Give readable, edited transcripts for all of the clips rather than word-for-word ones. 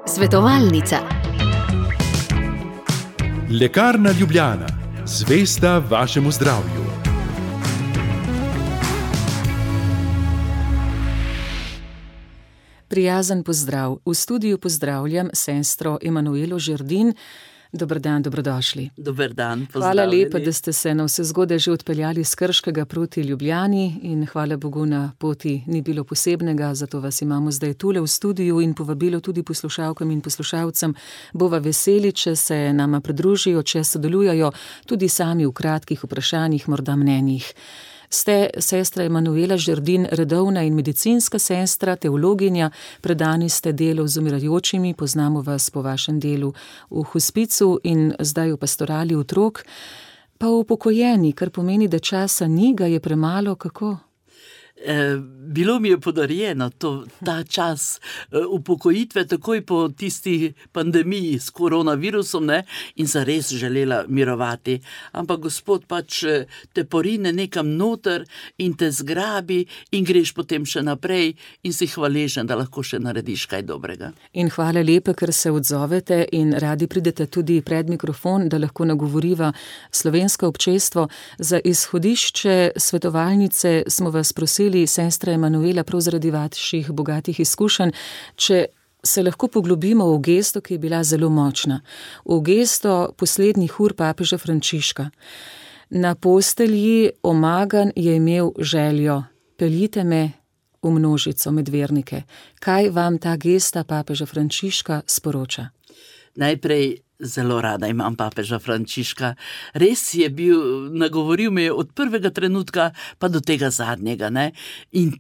Svetovalnica. Lekarna Ljubljana, zvesta vašemu zdravju. Prijazen pozdrav. V studiu pozdravljam sestro Emanuelo Žerdin. Dober dan, dobrodošli. Dober dan, Hvala lepa, da ste se navsezgodaj že odpeljali s Krškega proti Ljubljani in hvala Bogu na poti ni bilo posebnega, zato vas imamo zdaj tule v studiu in povabilo tudi poslušalkam in poslušalcem. Bova veseli, če se nama pridružijo, če sodelujajo tudi sami v kratkih vprašanjih, morda mnenjih. Ste sestra Emanuela Žerdin, redovna in medicinska sestra, teologinja, predani ste delu z umirajočimi, poznamo vas po vašem delu v hospicu in zdaj v pastorali otrok, pa upokojeni, kar pomeni, da časa ni, ga je premalo, kako? Bilo mi je podarjeno ta čas upokojitve takoj po tisti pandemiji s koronavirusom, ne, in sem res želela mirovati. Ampak Gospod pač te porine nekam noter in te zgrabi in greš potem še naprej in si hvaležen, da lahko še narediš kaj dobrega. In hvala lepa, ker se odzovete in radi pridete tudi pred mikrofon, da lahko nagovoriva slovensko občestvo. Za izhodišče svetovalnice smo vas prosili, sestra Emanuela, prav zaradi vaših bogatih izkušenj, če se lahko poglobimo v gesto, ki je bila zelo močna. V gesto poslednjih ur papeža Frančiška. Na postelji omagan je imel željo: peljite me v množico med vernike. Kaj vam ta gesta papeža Frančiška sporoča? Najprej zelo rada imam papeža Frančiška. Res je bil, nagovoril me je od prvega trenutka pa do tega zadnjega, ne. In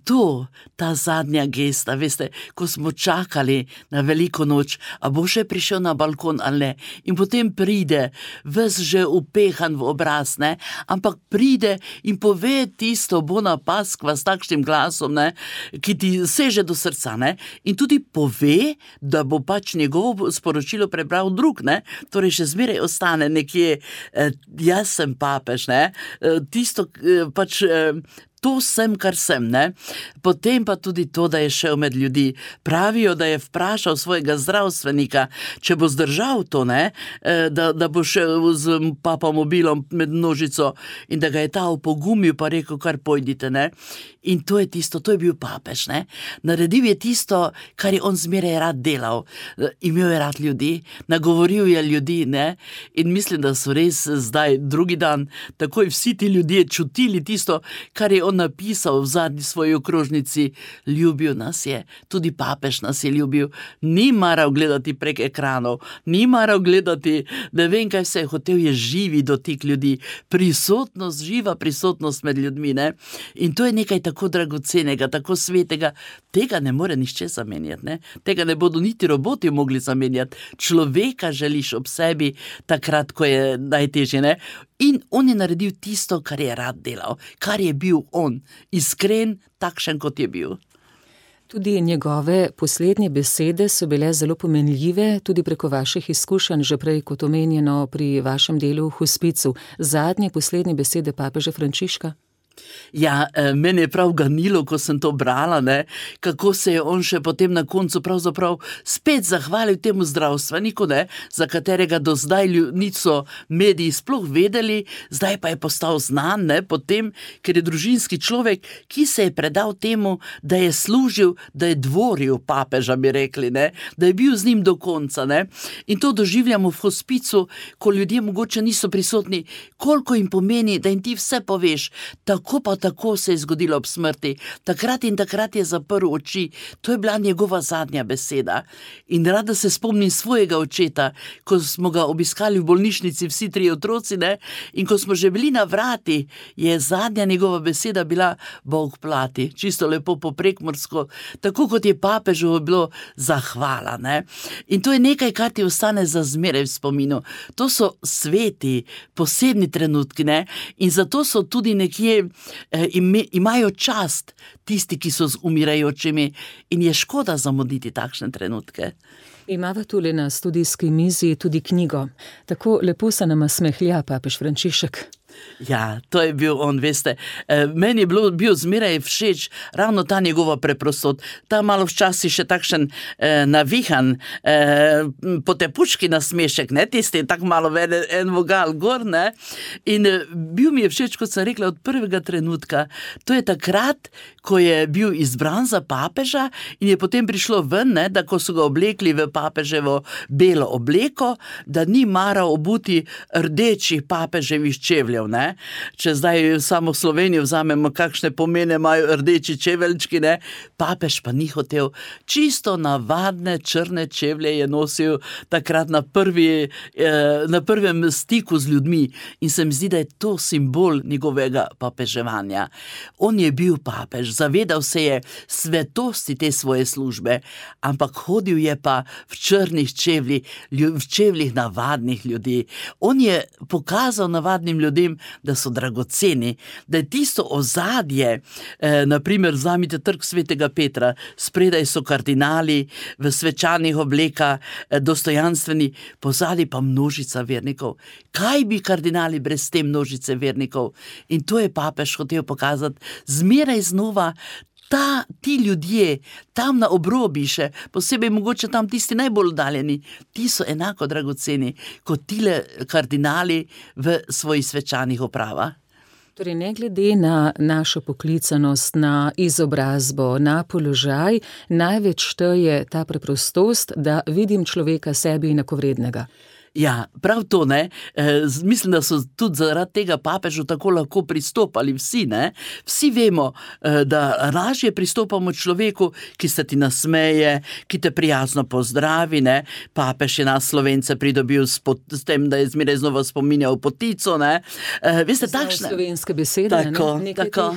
ta zadnja gesta, veste, ko smo čakali na veliko noč, a bo še prišel na balkon ali ne. In potem pride, ves že upehan v obraz, ne, ampak pride in pove tisto bona paskva s takšnim glasom, ne, ki ti seže do srca, ne. In tudi pove, da bo pač njegovo sporočilo prebral drug, ne. Torej še zmeraj ostane nekje, jaz sem papež, ne, tisto pač, to sem, kar sem, ne. Potem pa tudi to, da je šel med ljudi. Pravijo, da je vprašal svojega zdravstvenika, če bo zdržal to, ne, da bo šel z papamobilom med množico in da ga je ta opogumil pa rekel, kar pojdite, ne. In to je tisto, to je bil papež, ne. Naredil je tisto, kar je on zmeraj rad delal. Imel je rad ljudi, nagovoril je ljudi, ne. In mislim, da so res zdaj drugi dan takoj vsi ti ljudje čutili tisto, kar je on napisal v zadnji svoji okrožnici. Ljubil nas je, tudi papež nas je ljubil. Ni maral gledati prek ekranov, ni maral gledati, ne vem kaj vse, hotel je živi dotik ljudi, prisotnost, živa prisotnost med ljudmi, ne. In to je nekaj tako dragocenega, tako svetega, tega ne more nihče zamenjati, ne. Tega ne bodo niti roboti mogli zamenjati. Človeka želiš ob sebi takrat, ko je najtežje, ne. In on je naredil tisto, kar je rad delal, kar je bil on, iskren, takšen, kot je bil. Tudi njegove poslednje besede so bile zelo pomenljive, tudi preko vaših izkušenj, že prej kot omenjeno pri vašem delu v hospicu. Zadnje, poslednje besede papeža Frančiška? Ja, mene je prav ganilo, ko sem to brala, ne, kako se je on še potem na koncu pravzaprav spet zahvalil temu zdravstveniku, ne, za katerega do zdaj niso mediji sploh vedeli, zdaj pa je postal znan, ne, potem, ker je družinski človek, ki se je predal temu, da je služil, da je dvoril papeža, bi rekli, ne, da je bil z njim do konca, ne. In to doživljamo v hospicu, ko ljudje mogoče niso prisotni, koliko jim pomeni, da jim ti vse poveš, tako pa tako se je zgodilo ob smrti. Takrat in takrat je zaprl oči. To je bila njegova zadnja beseda. In rada se spomnim svojega očeta, ko smo ga obiskali v bolnišnici vsi 3 otroci, ne, in ko smo že bili na vrati, je zadnja njegova beseda bila Bog plati. Čisto lepo po prekmursko, tako kot je papežu bilo zahvala, ne. In to je nekaj, kar ti ostane za zmeraj v spominu. To so sveti, posebni trenutki, ne, in zato so tudi nekje imajo čast tisti, ki so z umirajočimi, in je škoda zamuditi takšne trenutke. Imava tule na studijski mizi tudi knjigo. Tako lepo se nama smehlja papež Frančišek. Ja, to je bil on, veste. Meni je bil zmeraj všeč ravno ta njegova preprostost. Ta malo včasih še takšen navihan, potepuški nasmešek, ne, tisti tako malo en vogal gor, ne. In bil mi je všeč, kot sem rekla, od prvega trenutka. To je takrat, ko je bil izbran za papeža in je potem prišlo ven, ne, da ko so ga oblekli v papeževo belo obleko, da ni maral obuti rdečih papeževih čevljev, ne. Če zdaj samo Slovenijo vzamemo, kakšne pomene imajo rdeči čeveljčki, ne, papež pa ni hotel. Čisto navadne črne čevlje je nosil takrat na prvem stiku z ljudmi in se mi zdi, da je to simbol njegovega papeževanja. On je bil papež, zavedal se je svetosti te svoje službe, ampak hodil je pa v črnih čevljih, v čevljih navadnih ljudi. On je pokazal navadnim ljudem, da so dragoceni, da je tisto ozadje, naprimer vzamite trg Svetega Petra, spredaj so kardinali v svečanih oblekah, dostojanstveni, pozadaj pa množica vernikov. Kaj bi kardinali brez te množice vernikov? In to je papež hotel pokazati zmeraj znova. Ti ljudje, tam na obrobi še, posebej mogoče tam tisti najbolj oddaljeni, ti so enako dragoceni kot tile kardinali v svojih svečanih opravah. Torej, ne glede na našo poklicanost, na izobrazbo, na položaj, največ šteje ta preprostost, da vidim človeka sebi enakovrednega. Ja, prav to, ne. Mislim, da so tudi zaradi tega papežu tako lahko pristopali vsi, ne. Vsi vemo, da lažje pristopamo človeku, ki se ti nasmeje, ki te prijazno pozdravi, ne. Papež je nas Slovence pridobil s tem, da je zmeraj znova spominjal potico, ne. Veste, takšne slovenske besede, tako.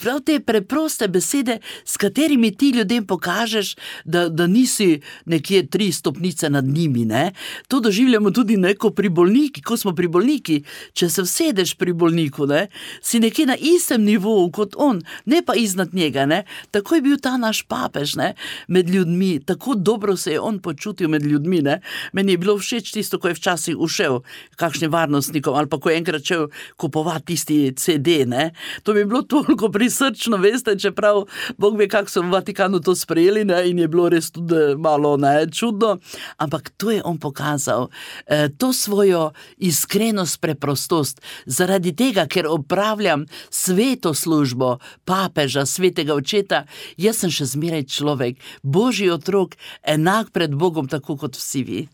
Prav te preproste besede, s katerimi ti ljudem pokažeš, da nisi nekje 3 stopnice nad njimi, ne. To doživljamo tudi neko pri bolniki, ko smo pri bolniki. Če se vsedeš pri bolniku, ne, si nekje na istem nivoju kot on, ne pa iznad njega, ne. Tako je bil ta naš papež, ne, med ljudmi. Tako dobro se je on počutil med ljudmi, ne. Meni je bilo všeč tisto, ko je včasih ušel kakšnim varnostnikom ali pa ko je enkrat šel kupovati tisti CD, ne. To bi bilo toliko prisrčno, veste, čeprav Bog ve, kako so v Vatikanu to sprejeli, ne, in je bilo res tudi malo, ne, čudno, ampak to je on pokazal. To svojo iskrenost, preprostost, zaradi tega, ker opravljam sveto službo papeža, svetega očeta, jaz sem še zmeraj človek, Božji otrok, enak pred Bogom, tako kot vsi vi.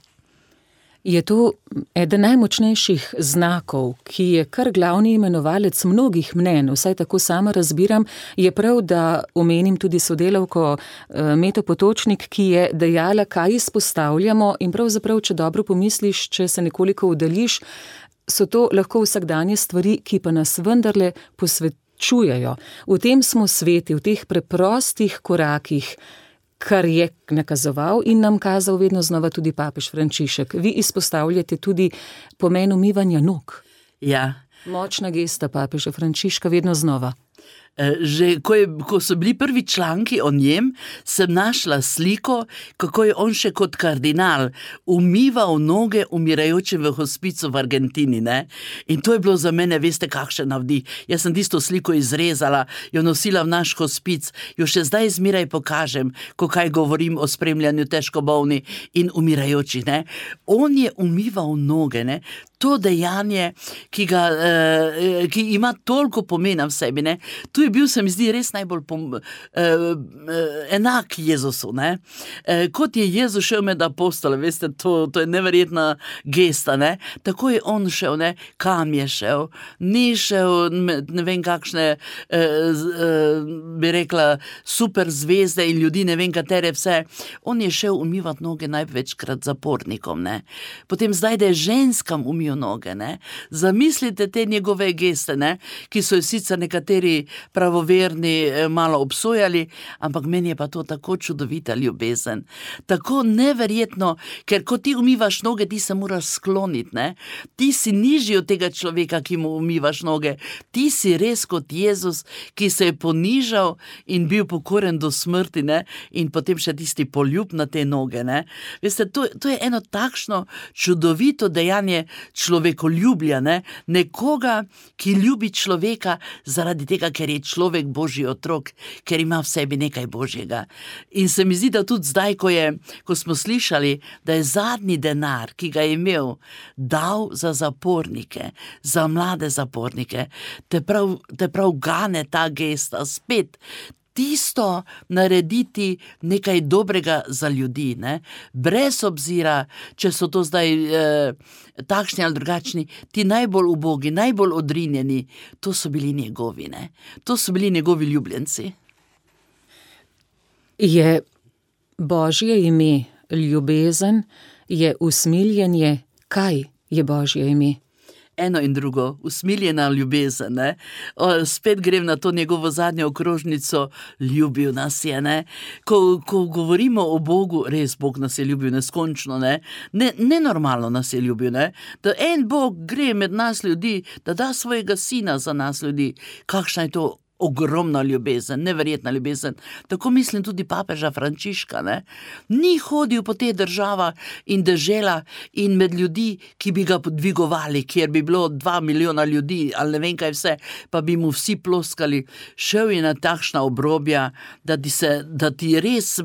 Je to eden najmočnejših znakov, ki je kar glavni imenovalec mnogih mnenj, vsaj tako sama razbiram, je prav, da omenim tudi sodelavko Meto Potočnik, ki je dejala, kaj izpostavljamo in pravzaprav, če dobro pomisliš, če se nekoliko oddaljiš, so to lahko vsakdanje stvari, ki pa nas vendarle posvečujejo. V tem smo sveti, v teh preprostih korakih, kar je nakazoval in nam kazal vedno znova tudi papež Frančišek. Vi izpostavljate tudi pomen umivanja nog. Ja. Močna gesta papeža Frančiška vedno znova. Že ko so bili prvi članki o njem, sem našla sliko, kako je on še kot kardinal umival noge umirajočim v hospicu v Argentini, ne. In to je bilo za mene, veste, kakšen navdih. Jaz sem tisto sliko izrezala, jo nosila v naš hospic, jo še zdaj zmeraj pokažem, ko kaj govorim o spremljanju težko bolnih in umirajočih, ne. On je umival noge, ne. To dejanje, ki ima toliko pomena v sebi, ne. Tu je bil, se mi zdi, res najbolj enak Jezusu, ne. Kot je Jezus šel med apostole, veste, to je neverjetna gesta, ne. Tako je on šel, ne. Kam je šel? Ni šel ne vem kakšne, bi rekla, super zvezde in ljudi, ne vem katere vse. On je šel umivati noge največkrat zapornikom, ne. Potem zdaj, da je ženskam umil noge, ne. Zamislite te njegove geste, ne, ki so jo sicer nekateri pravoverni malo obsojali, ampak meni je pa to tako čudovita ljubezen, tako neverjetno, ker ko ti umivaš noge, ti se moraš skloniti, ne? Ti si nižji od tega človeka, ki mu umivaš noge, ti si res kot Jezus, ki se je ponižal in bil pokoren do smrti, ne? In potem še tisti poljub na te noge, ne? Veste, to je eno takšno čudovito dejanje človekoljubja, ne? Nekoga, ki ljubi človeka zaradi tega, ker je človek Božji otrok, ker ima v sebi nekaj Božjega. In se mi zdi, da tudi zdaj, ko smo slišali, da je zadnji denar, ki ga je imel, dal za zapornike, za mlade zapornike, te prav gane ta gesta spet, tisto narediti nekaj dobrega za ljudi, ne? Brez obzira, če so to zdaj takšni ali drugačni, ti najbolj ubogi, najbolj odrinjeni, to so bili njegovi, ne? To so bili njegovi ljubljenci. Je Božje ime ljubezen, je usmiljenje, kaj je Božje ime? Eno in drugo, usmiljena ljubezen, ne? Spet grem na to njegovo zadnjo okrožnico, ljubil nas je, ne? Ko govorimo o Bogu, res Bog nas je ljubil neskončno, ne? Nenormalno nas je ljubil, ne? Da en Bog gre med nas ljudi, da da svojega sina za nas ljudi. Kakšna je to ogromna ljubezen, neverjetna ljubezen. Tako mislim tudi papeža Frančiška, ne? Ni hodil po te država in dežela in med ljudi, ki bi ga podvigovali, kjer bi bilo 2 milijona ljudi ali ne vem kaj vse, pa bi mu vsi ploskali. Šel je na takšna obrobja, da ti res,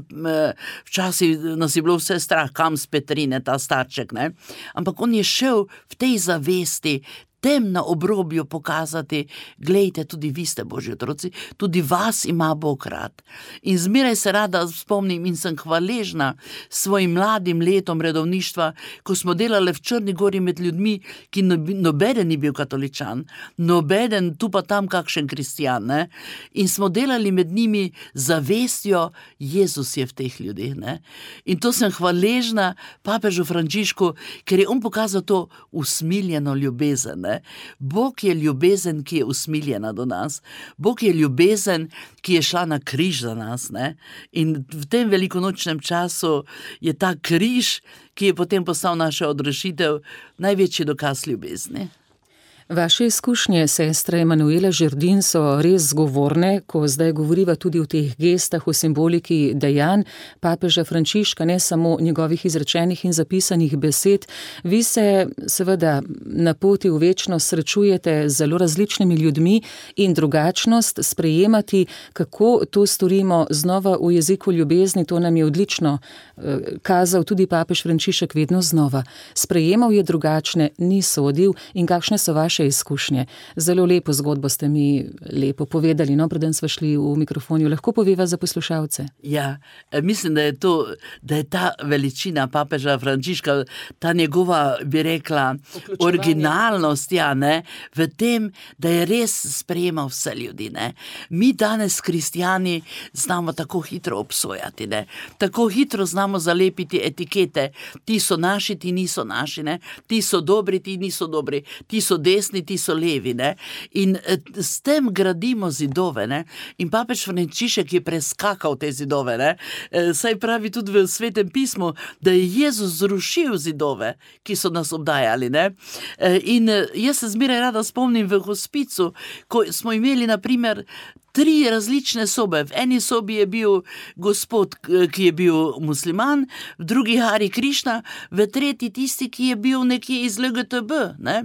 včasih nas je bilo vse strah, kam s Petrine, ta starček, ne? Ampak on je šel v tej zavesti, tem na obrobju pokazati, glejte, tudi vi ste Božji otroci, tudi vas ima Bog rad. In zmeraj se rada spomnim in sem hvaležna svojim mladim letom redovništva, ko smo delali v Črni gori med ljudmi, ki nobeden ni bil katoličan, nobeden tu pa tam kakšen kristjan, ne? In smo delali med njimi zavestjo, Jezus je v teh ljudeh, ne? In to sem hvaležna papežu Frančišku, ker je on pokazal to usmiljeno ljubezen, ne? Bog je ljubezen, ki je usmiljena do nas. Bog je ljubezen, ki je šla na križ za nas, ne? In v tem velikonočnem času je ta križ, ki je potem postal naša odrešitev, največji dokaz ljubezni. Vaše izkušnje, sestre Emanuela Žerdin, so res zgovorne, ko zdaj govoriva tudi o teh gestah, o simboliki dejanj papeža Frančiška, ne samo njegovih izrečenih in zapisanih besed. Vi se seveda na poti v večnost srečujete z zelo različnimi ljudmi in drugačnost sprejemati, kako to storimo znova v jeziku ljubezni, to nam je odlično kazal tudi papež Frančišek vedno znova. Sprejemal je drugačne, ni sodil. In kakšne so vaše izkušnje? Zelo lepo zgodbo ste mi lepo povedali, no, preden sva šli v mikrofonju. Lahko poveva za poslušalce? Ja, mislim, da je ta veličina papeža Frančiška, ta njegova, bi rekla, originalnost, ja, ne, v tem, da je res sprejemal vse ljudi, ne. Mi danes, kristjani, znamo tako hitro obsojati, ne. Tako hitro znamo zalepiti etikete. Ti so naši, ti niso naši, ne. Ti so dobri, ti niso dobri. Ti so desni, ti so levi, ne. In s tem gradimo zidove, ne. In papež Frančišek je preskakal te zidove, ne. Saj pravi tudi v Svetem pismu, da je Jezus zrušil zidove, ki so nas obdajali, ne. In jaz se zmeraj rada spomnim v hospicu, ko smo imeli na primer 3 različne sobe. V eni sobi je bil gospod, ki je bil musliman, v drugi Hari Krišna, v tretji tisti, ki je bil nekje iz LGTB, ne.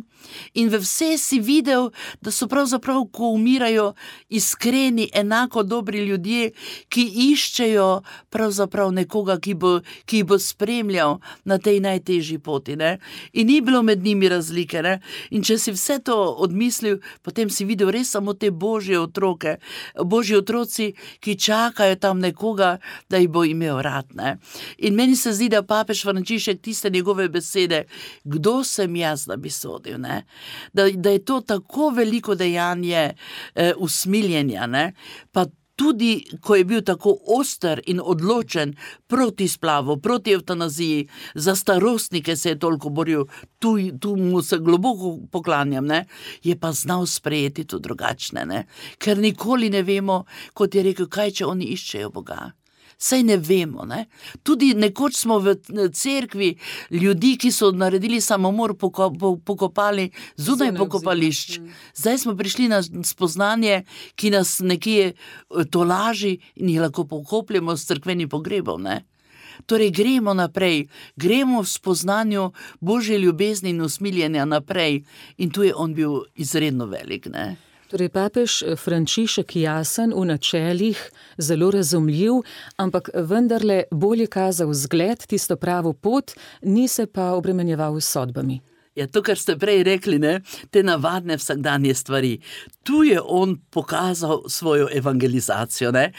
In v vse si videl, da so pravzaprav, ko umirajo, iskreni, enako dobri ljudje, ki iščejo pravzaprav nekoga, ki bo spremljal na tej najtežji poti, ne. In ni bilo med njimi razlike, ne. In če si vse to odmislil, potem si videl res samo te Božje otroke, Božji otroci, ki čakajo tam nekoga, da jih bo imel rad, ne. In meni se zdi, da papež Frančišek tiste njegove besede, kdo sem jaz, da bi sodil, ne. Da je to tako veliko dejanje usmiljenja, ne. Pa tudi ko je bil tako oster in odločen proti splavu, proti evtanaziji, za starostnike se je toliko boril, tu mu se globoko poklanjam, ne, je pa znal sprejeti to drugačne, ne, ker nikoli ne vemo, kot je rekel, kaj če oni iščejo Boga. Saj ne vemo, ne. Tudi nekoč smo v cerkvi ljudi, ki so naredili samomor, pokopali zunaj pokopališč. Zdaj smo prišli na spoznanje, ki nas nekje tolaži in jih lahko pokopljamo s cerkvenim pogrebom, ne. Torej gremo naprej, gremo v spoznanju Božje ljubezni in usmiljenja naprej in tu je on bil izredno velik, ne. Torej, papež Frančišek jasen, v načelih, zelo razumljiv, ampak vendarle bolj je kazal zgled, tisto pravo pot, ni se pa obremenjeval s sodbami. Ja, to, kar ste prej rekli, ne, te navadne vsakdanje stvari. Tu je on pokazal svojo evangelizacijo, ne.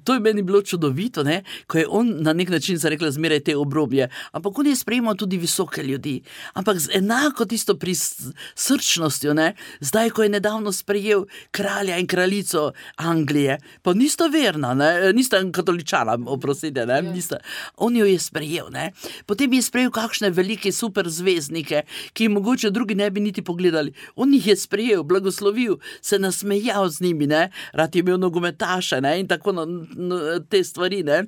To je meni bilo čudovito, ne, ko je on na nek način zarekla zmeraj te obrobje, ampak on je sprejemal tudi visoke ljudi, ampak z enako tisto prisrčnostjo, ne, zdaj, ko je nedavno sprejel kralja in kraljico Anglije, pa nista verna, ne, nista katoličana, oprostite, ne, nista, on jo je sprejel, ne, potem je sprejel kakšne velike super zvezdnike, ki mogoče drugi ne bi niti pogledali. On jih je sprejel, blagoslovil, se nasmejal z njimi, ne, rad je imel nogometaše, ne, in tako te stvari, ne.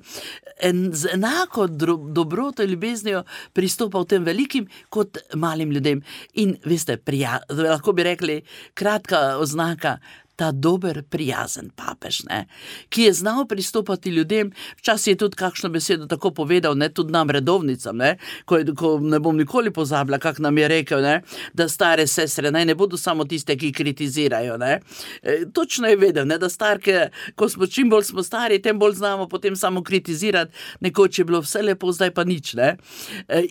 Z enako dobroto in ljubeznijo pristopal tem velikim kot malim ljudem. In veste, lahko bi rekli, kratka oznaka, ta dober, prijazen papež, ne, ki je znal pristopati ljudem, včasih je tudi kakšno besedo tako povedal, ne, tudi nam redovnicam, ne, ko ne bom nikoli pozabila, kak nam je rekel, ne, da stare sestre ne bodo samo tiste, ki kritizirajo, ne. Točno je vedel, ne, da starke, čim bolj smo stari, tem bolj znamo potem samo kritizirati, nekoč je bilo vse lepo, zdaj pa nič, ne.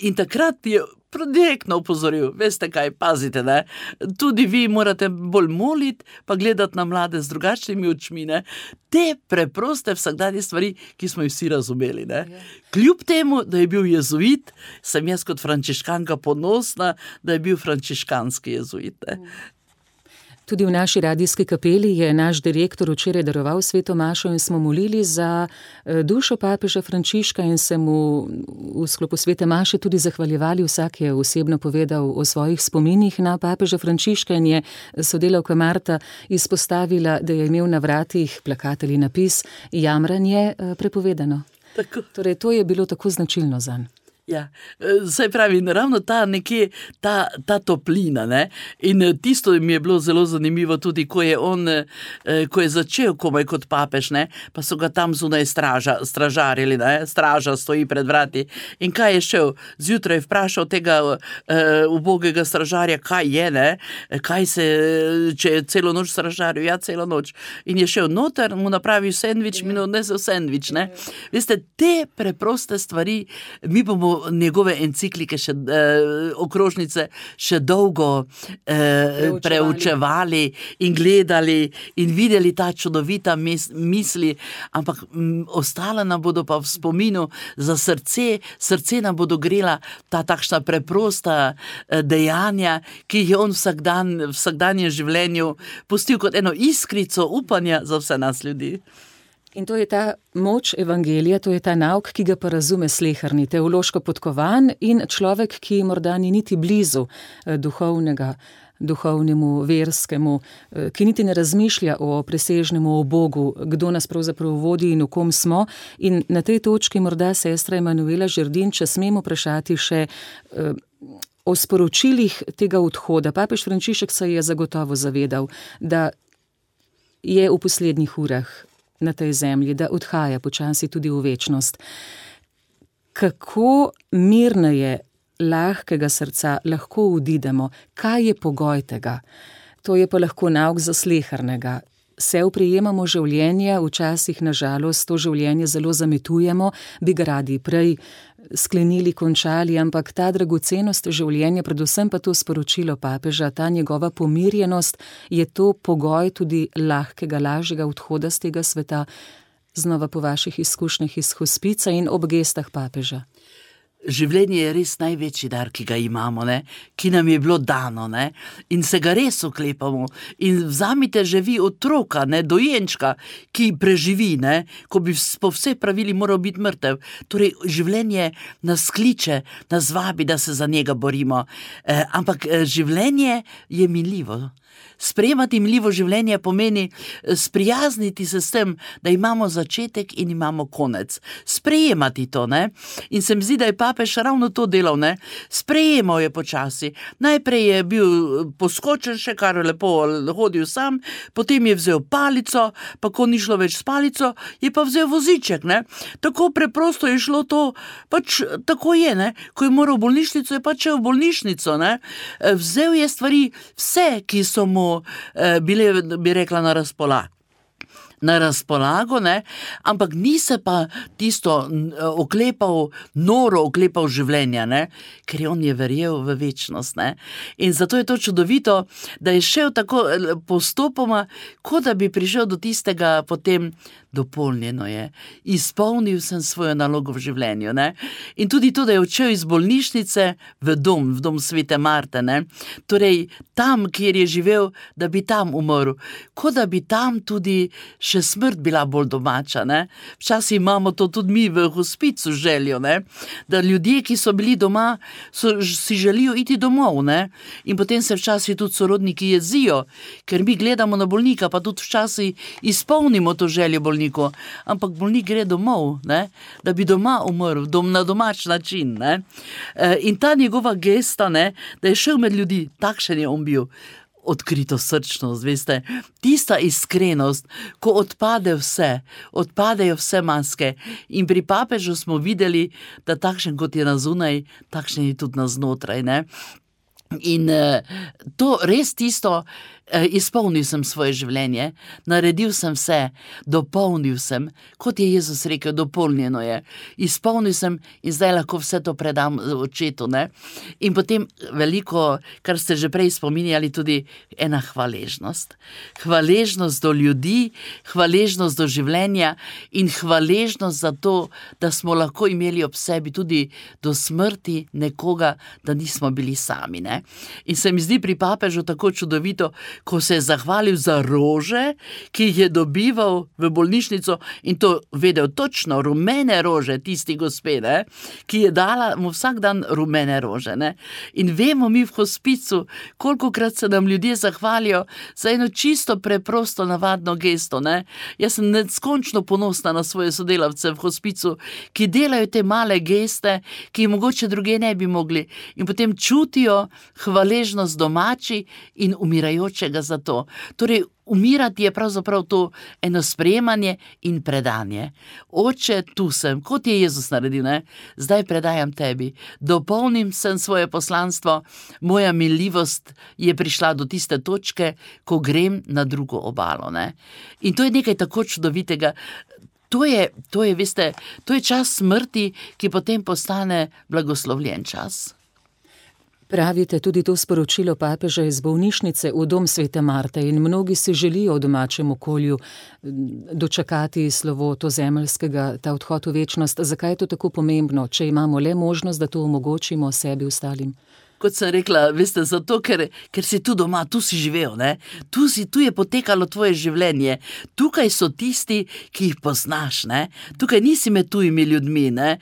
In takrat je direktno opozoril, veste kaj, pazite, ne, tudi vi morate bolj moliti, pa gledati na mlade z drugačnimi očmi, ne, te preproste vsakdanje stvari, ki smo jih vsi razumeli, ne. Kljub temu, da je bil jezuit, sem jaz kot frančiškanka ponosna, da je bil frančiškanski jezuit, ne. Tudi v naši radijski kapeli je naš direktor včeraj daroval sveto mašo in smo molili za dušo papeža Frančiška in se mu v sklopu svete maše tudi zahvaljevali. Vsak je osebno povedal o svojih spominih na papeža Frančiška in je sodelavka Marta izpostavila, da je imel na vratih plakat ali napis Jamranje prepovedano. Tako. Torej, to je bilo tako značilno zanj. Ja, saj pravi, ravno ta nekje, ta toplina, ne, in tisto mi je bilo zelo zanimivo tudi, ko je začel komaj kot papež, ne, pa so ga tam zunaj stražarili, ne, straža stoji pred vrati in kaj je šel, zjutraj vprašal tega ubogega stražarja, kaj je, ne, če je celo noč stražaril, ja, celo noč, in je šel noter, mu napravil sendvič, mi odnesel sendvič, ne, veste, te preproste stvari, mi bomo njegove enciklike okrožnice še dolgo preučevali in gledali in videli ta čudovita misli, ampak ostala nam bodo pa v spominu za srce nam bodo grela ta takšna preprosta dejanja, ki jih je on v vsakdanjem življenju pustil kot eno iskrico upanja za vse nas ljudi. In to je ta moč evangelija, to je ta nauk, ki ga pa razume sleherni, teološko podkovan in človek, ki morda ni niti blizu duhovnemu, verskemu, ki niti ne razmišlja o presežnemu, o Bogu, kdo nas pravzaprav vodi in v kom smo. In na tej točki morda sestra Emanuela Žerdin, če smemo vprašati še o sporočilih tega odhoda. Papež Frančišek se je zagotovo zavedal, da je v poslednjih urah na tej zemlji, da odhaja počasi tudi v večnost. Kako mirneje, lahkega srca lahko odidemo? Kaj je pogoj tega? To je pa lahko nauk za slehernega. Se oprijemamo življenja, včasih na žalost to življenje zelo zametujemo, bi ga radi prej sklenili, končali, ampak ta dragocenost življenja, predvsem pa to sporočilo papeža, ta njegova pomirjenost, je to pogoj tudi lahkega, lažjega odhoda z tega sveta, znova po vaših izkušnjah iz hospica in ob gestah papeža. življenje je res največji dar, ki ga imamo, ne? Ki nam je bilo dano, ne? In se ga res oklepamo. In vzamite že vi otroka, ne? Dojenčka, ki preživi, ne? Ko bi po vseh pravili moral biti mrtev. Torej, življenje nas kliče, nas vabi, da se za njega borimo. Ampak življenje je minljivo. Sprejemati minljivo življenje pomeni sprijazniti se s tem, da imamo začetek in imamo konec. Sprejemati to, ne? In se mi zdi, da je papež ravno to delal, ne? Sprejemal je počasi. Najprej je bil poskočen še, kar lepo hodil sam, potem je vzel palico, pa ko ni šlo več s palico, je pa vzel voziček, ne? Tako preprosto je šlo to, pač tako je, ne? Ko je moral v bolnišnico, je pač v bolnišnico, ne? Vzel je stvari, vse, ki so mu bile, bi rekla, na razpolago, ne? Ampak ni se pa tisto noro oklepal življenja, ne? Ker on je verjel v večnost, ne? In zato je to čudovito, da je šel tako postopoma, kot da bi prišel do tistega potem, dopolnjeno je. Izpolnil sem svojo nalogo v življenju, ne? In tudi to, da je odšel iz bolnišnice v dom Svete Marte, ne? Torej, tam, kjer je živel, da bi tam umrl. Kot da bi tam tudi še smrt bila bolj domača, ne? Včasih imamo to tudi mi v hospicu željo, ne? Da ljudje, ki so bili doma, si želijo iti domov, ne? In potem se včasih tudi sorodniki jezijo, ker mi gledamo na bolnika, pa tudi včasih izpolnimo to željo bolnika. Ampak bolnik gre domov, ne? Da bi doma umrl, na domač način, ne? In ta njegova gesta, ne? Da je šel med ljudi, takšen je on bil. Odkrito srčnost, veste, tista iskrenost, ko odpadejo vse maske. In pri papežu smo videli, da takšen kot je na zunaj, takšen je tudi na znotraj, ne? In to res tisto, izpolnil sem svoje življenje, naredil sem vse, dopolnil sem, kot je Jezus rekel, dopolnjeno je. Izpolnil sem in zdaj lahko vse to predam očetu, ne? In potem veliko, kar ste že prej spominjali, tudi ena hvaležnost. Hvaležnost do ljudi, hvaležnost do življenja in hvaležnost za to, da smo lahko imeli ob sebi tudi do smrti nekoga, da nismo bili sami, ne? In se mi zdi pri papežu tako čudovito, ko se je zahvalil za rože, ki jih je dobival v bolnišnico in to vedel točno, rumene rože, tisti gospe, ne, ki je dala mu vsak dan rumene rože, ne. In vemo mi v hospicu, kolikokrat se nam ljudje zahvalijo za eno čisto preprosto navadno gesto, ne. Jaz sem neskončno ponosna na svoje sodelavce v hospicu, ki delajo te male geste, ki jih mogoče druge ne bi mogli in potem čutijo hvaležnost domači in umirajočega za to. Torej, umirati je pravzaprav to eno sprejemanje in predanje. Oče, tu sem, kot je Jezus naredil, ne? Zdaj predajam tebi. Dopolnim sem svoje poslanstvo, moja miljivost je prišla do tiste točke, ko grem na drugo obalo, ne? In to je nekaj tako čudovitega. To je, veste, to je čas smrti, ki potem postane blagoslovljen čas. Pravite tudi to sporočilo papeža iz bolnišnice v dom Svete Marte in mnogi si želijo v domačem okolju dočakati slovo to zemeljskega, ta odhod v večnost. Zakaj je to tako pomembno, če imamo le možnost, da to omogočimo sebi ostalim? Kot sem rekla, veste, zato, ker si tu doma, tu si živel, ne? Tu je potekalo tvoje življenje. Tukaj so tisti, ki jih poznaš, ne? Tukaj nisi med tujimi ljudmi, ne?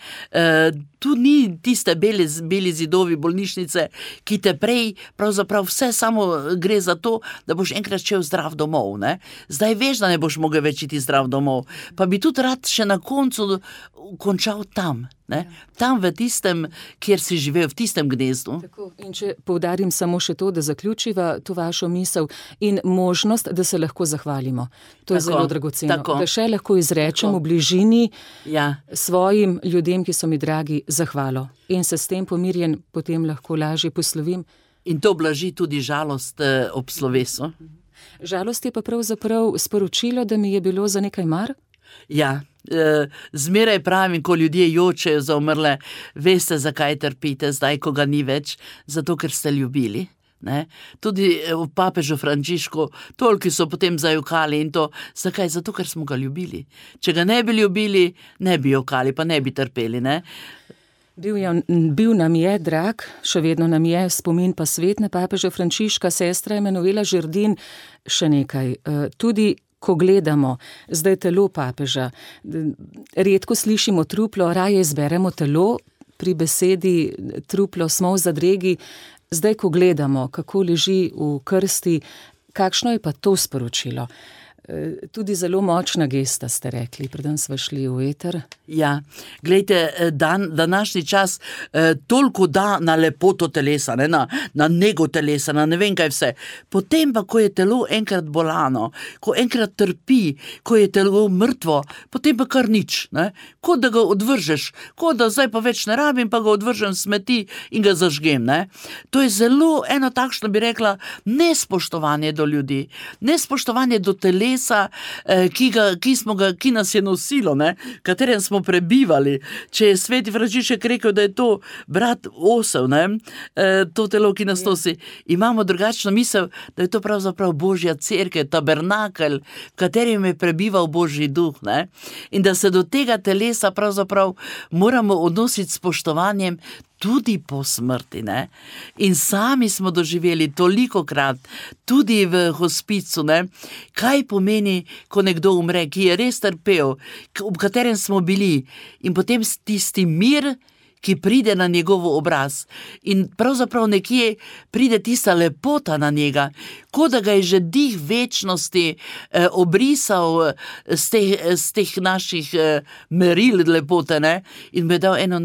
Tu ni tiste beli zidovi bolnišnice, ki te prej, pravzaprav vse samo gre za to, da boš enkrat šel zdrav domov, ne? Zdaj veš, da ne boš mogel več iti zdrav domov, pa bi tudi rad še na koncu končal tam, ne? Tam v tistem, kjer si živel, v tistem gnezdu. Tako. In če poudarim samo še to, da zaključiva to vašo misel in možnost, da se lahko zahvalimo. To je zelo dragoceno. Da še lahko izrečem v bližini svojim ljudem, ki so mi dragi, zahvalo. In se s tem pomirjen potem lahko lažje poslovim. In to blaži tudi žalost ob slovesu. Žalost je pa pravzaprav sporočilo, da mi je bilo za nekaj mar? Ja, zmeraj pravim, ko ljudje jočejo za umrle, veste, zakaj trpite zdaj, ko ga ni več, zato ker ste ljubili. Ne? Tudi v papežu Frančišku, tolki so potem zajokali in to, zakaj? Zato, ker smo ga ljubili. Če ga ne bi ljubili, ne bi jokali, pa ne bi trpeli, ne? Bil nam je drag, še vedno nam je spomin pa svet na papeža Frančiška, sestra Emanuela Žerdin. Še nekaj, tudi ko gledamo zdaj telo papeža, redko slišimo truplo, raje izberemo telo, pri besedi truplo smo v zadregi. Zdaj, ko gledamo, kako leži v krsti, kakšno je pa to sporočilo? Tudi zelo močna gesta, ste rekli, preden smo šli v eter. Ja, glejte, današnji čas toliko da na lepoto telesa, ne, na nego telesa, na ne vem kaj vse. Potem pa, ko je telo enkrat bolano, ko enkrat trpi, ko je telo mrtvo, potem pa kar nič, ne. Ko da ga odvržeš, ko da zdaj pa več ne rabim, pa ga odvržem smeti in ga zažgem, ne. To je zelo eno takšno, bi rekla, nespoštovanje do ljudi, nespoštovanje do telesa, ki nas je nosilo, ne, v katerem smo prebivali. Če je sveti Frančišek rekel, da je to brat osel, ne, to telo, ki nas nosi, imamo drugačno misel, da je to pravzaprav Božja cerkev, tabernakelj, v katerem je prebival Božji duh, ne, in da se do tega telesa pravzaprav moramo odnositi s spoštovanjem tudi po smrti, ne. In sami smo doživeli tolikokrat, tudi v hospicu, ne, kaj pomeni, ko nekdo umre, ki je res trpel, ob katerem smo bili, in potem tisti mir, ki pride na njegov obraz. In pravzaprav nekje pride tista lepota na njega, kot da ga je že dih večnosti obrisal z teh naših meril lepote, ne, in bi dal eno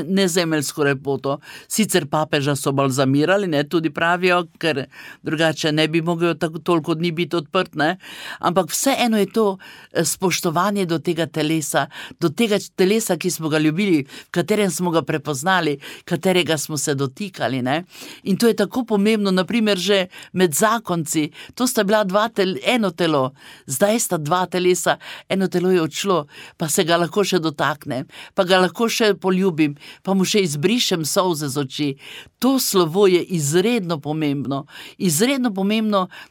nezemeljsko lepoto. Sicer papeža so balzamirali, ne, tudi pravijo, ker drugače ne bi mogel toliko dni biti odprt, ne, ampak vseeno je to spoštovanje do tega telesa, ki smo ga ljubili, v katerem smo ga prepoznali, katerega smo se dotikali, ne. In to je tako pomembno, naprimer že med zakonci, to sta bila eno telo, zdaj sta dva telesa, eno telo je odšlo, pa se ga lahko še dotaknem, pa ga lahko še poljubim, pa mu še izbrišem solze z oči. To slovo je izredno pomembno,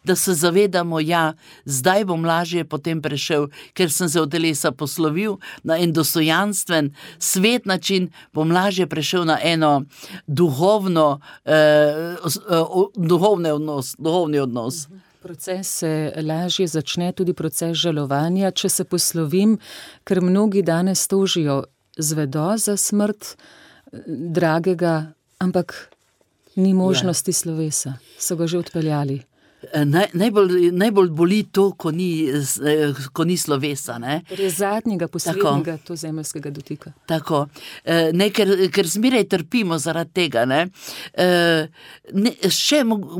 da se zavedamo, ja, zdaj bom lažje potem prešel, ker sem se od telesa poslovil na en dostojanstven, svet način, bom lažje prešel na eno duhovni odnos. Proces se lažje začne, tudi proces žalovanja, če se poslovim, ker mnogi danes tožijo, zvedo za smrt dragega, ampak ni možnosti slovesa, so ga že odpeljali. Najbolj boli to, ko ni slovesa, ne. Torej zadnjega, poslednjega, to zemeljskega dotika. Tako. Ne, ker zmeraj trpimo zaradi tega, ne.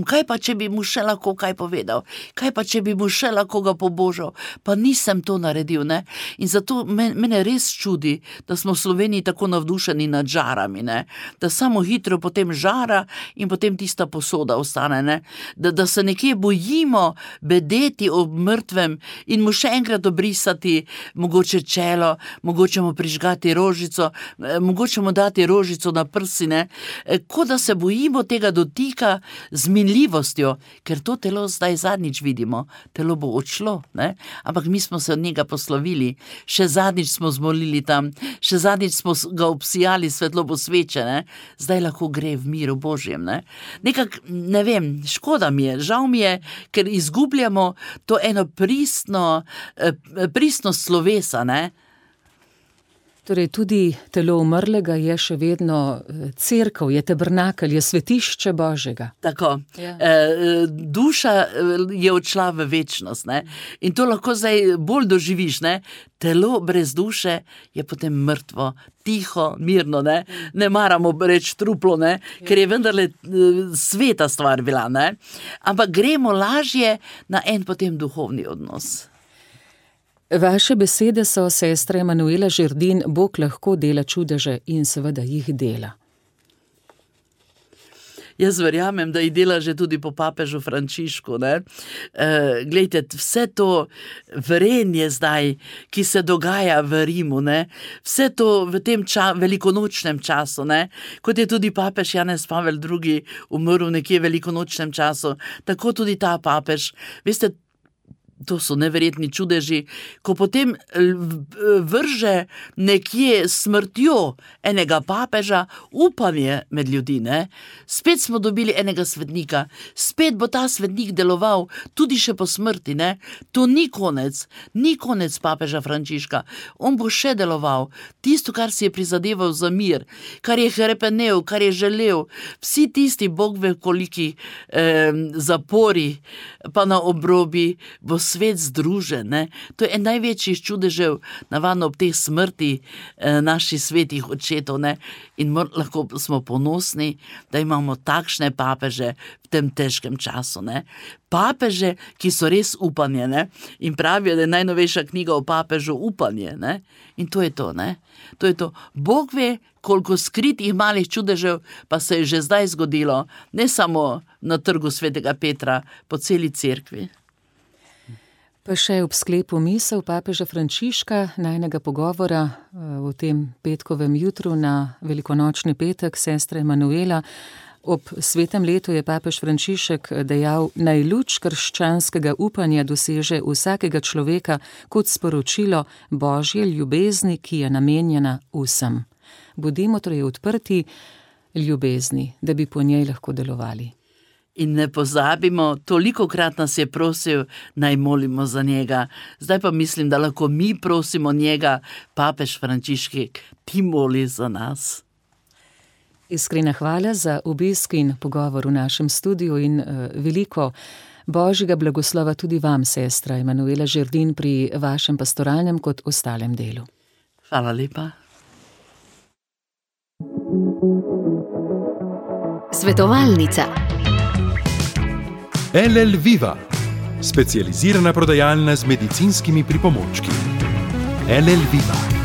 Kaj pa, če bi mu še lahko kaj povedal? Kaj pa, če bi mu še lahko ga pobožal? Pa nisem to naredil, ne. In zato mene res čudi, da smo v Sloveniji tako navdušeni nad žarami, ne. Da samo hitro potem žara in potem tista posoda ostane, ne. Da se nekje bojimo bedeti ob mrtvem in mu še enkrat obrisati mogoče čelo, mogoče mu prižgati rožico, mogoče mu dati rožico na prsine, kot da se bojimo tega dotika z minljivostjo, ker to telo zdaj zadnjič vidimo, telo bo odšlo, ne? Ampak mi smo se od njega poslovili, še zadnjič smo zmolili tam, še zadnjič smo ga obsijali svetlobo sveče, ne? Zdaj lahko gre v miru Božjem, ne? Nekak, ne vem, škoda mi je, žal mi je, ker izgubljamo to eno pristnost slovesa, ne. Torej tudi telo umrlega je še vedno cerkev, je tabernakelj, je svetišče Božjega. Tako. Ja. Duša je odšla v večnost, ne. In to lahko zdaj bolj doživiš, ne. Telo brez duše je potem mrtvo, tiho, mirno, ne. Ne maramo reči truplo, ne, ker je vendarle sveta stvar bila, ne. Ampak gremo lažje na en potem duhovni odnos. Vaše besede so, sestra Emanuela Žerdin, Bog lahko dela čudeže in seveda jih dela. Jaz verjamem, da jih dela že tudi po papežu Frančišku, ne. Glejte, vse to vrenje zdaj, ki se dogaja v Rimu, ne, vse to v tem velikonočnem času, ne, kot je tudi papež Janez Pavel II. Umrl nekje v velikonočnem času, tako tudi ta papež. Veste, To so neverjetni čudeži, ko potem vrže nekje smrtjo enega papeža upanje med ljudi, ne? Spet smo dobili enega svetnika, spet bo ta svetnik deloval tudi še po smrti, ne? To ni konec papeža Frančiška. On bo še deloval. Tisto, kar si je prizadeval za mir, kar je hrepenel, kar je želel, vsi tisti Bog ve koliki zapori, pa na obrobi, bo svet združen, ne? To je en največjih čudežev, navadno ob teh smrti naših svetih očetov, ne? In lahko smo ponosni, da imamo takšne papeže v tem težkem času, ne? Papeže, ki so res upanje, ne? In pravijo, da je najnovejša knjiga o papežu upanje, ne? In to je to, ne? To je to. Bog ve, koliko skritih malih čudežev pa se je že zdaj zgodilo, ne samo na trgu svetega Petra, po celi cerkvi. Pa še ob sklepu misel papeža Frančiška, najnega pogovora v tem petkovem jutru na velikonočni petek, sestra Emanuela. Ob svetem letu je papež Frančišek dejal, naj luč krščanskega upanja doseže vsakega človeka kot sporočilo Božje ljubezni, ki je namenjena vsem. Bodimo torej odprti ljubezni, da bi po njej lahko delovali. In ne pozabimo, tolikokrat nas je prosil, naj molimo za njega. Zdaj pa mislim, da lahko mi prosimo njega, papež Frančišek, ti moli za nas. Iskrena hvala za obisk in pogovor v našem studiu in veliko Božjega blagoslova tudi vam, sestra Emanuela Žerdin, pri vašem pastoralnem kot ostalem delu. Hvala lepa. Svetovalnica. LL Viva, specializirana prodajalna z medicinskimi pripomočki. LL Viva.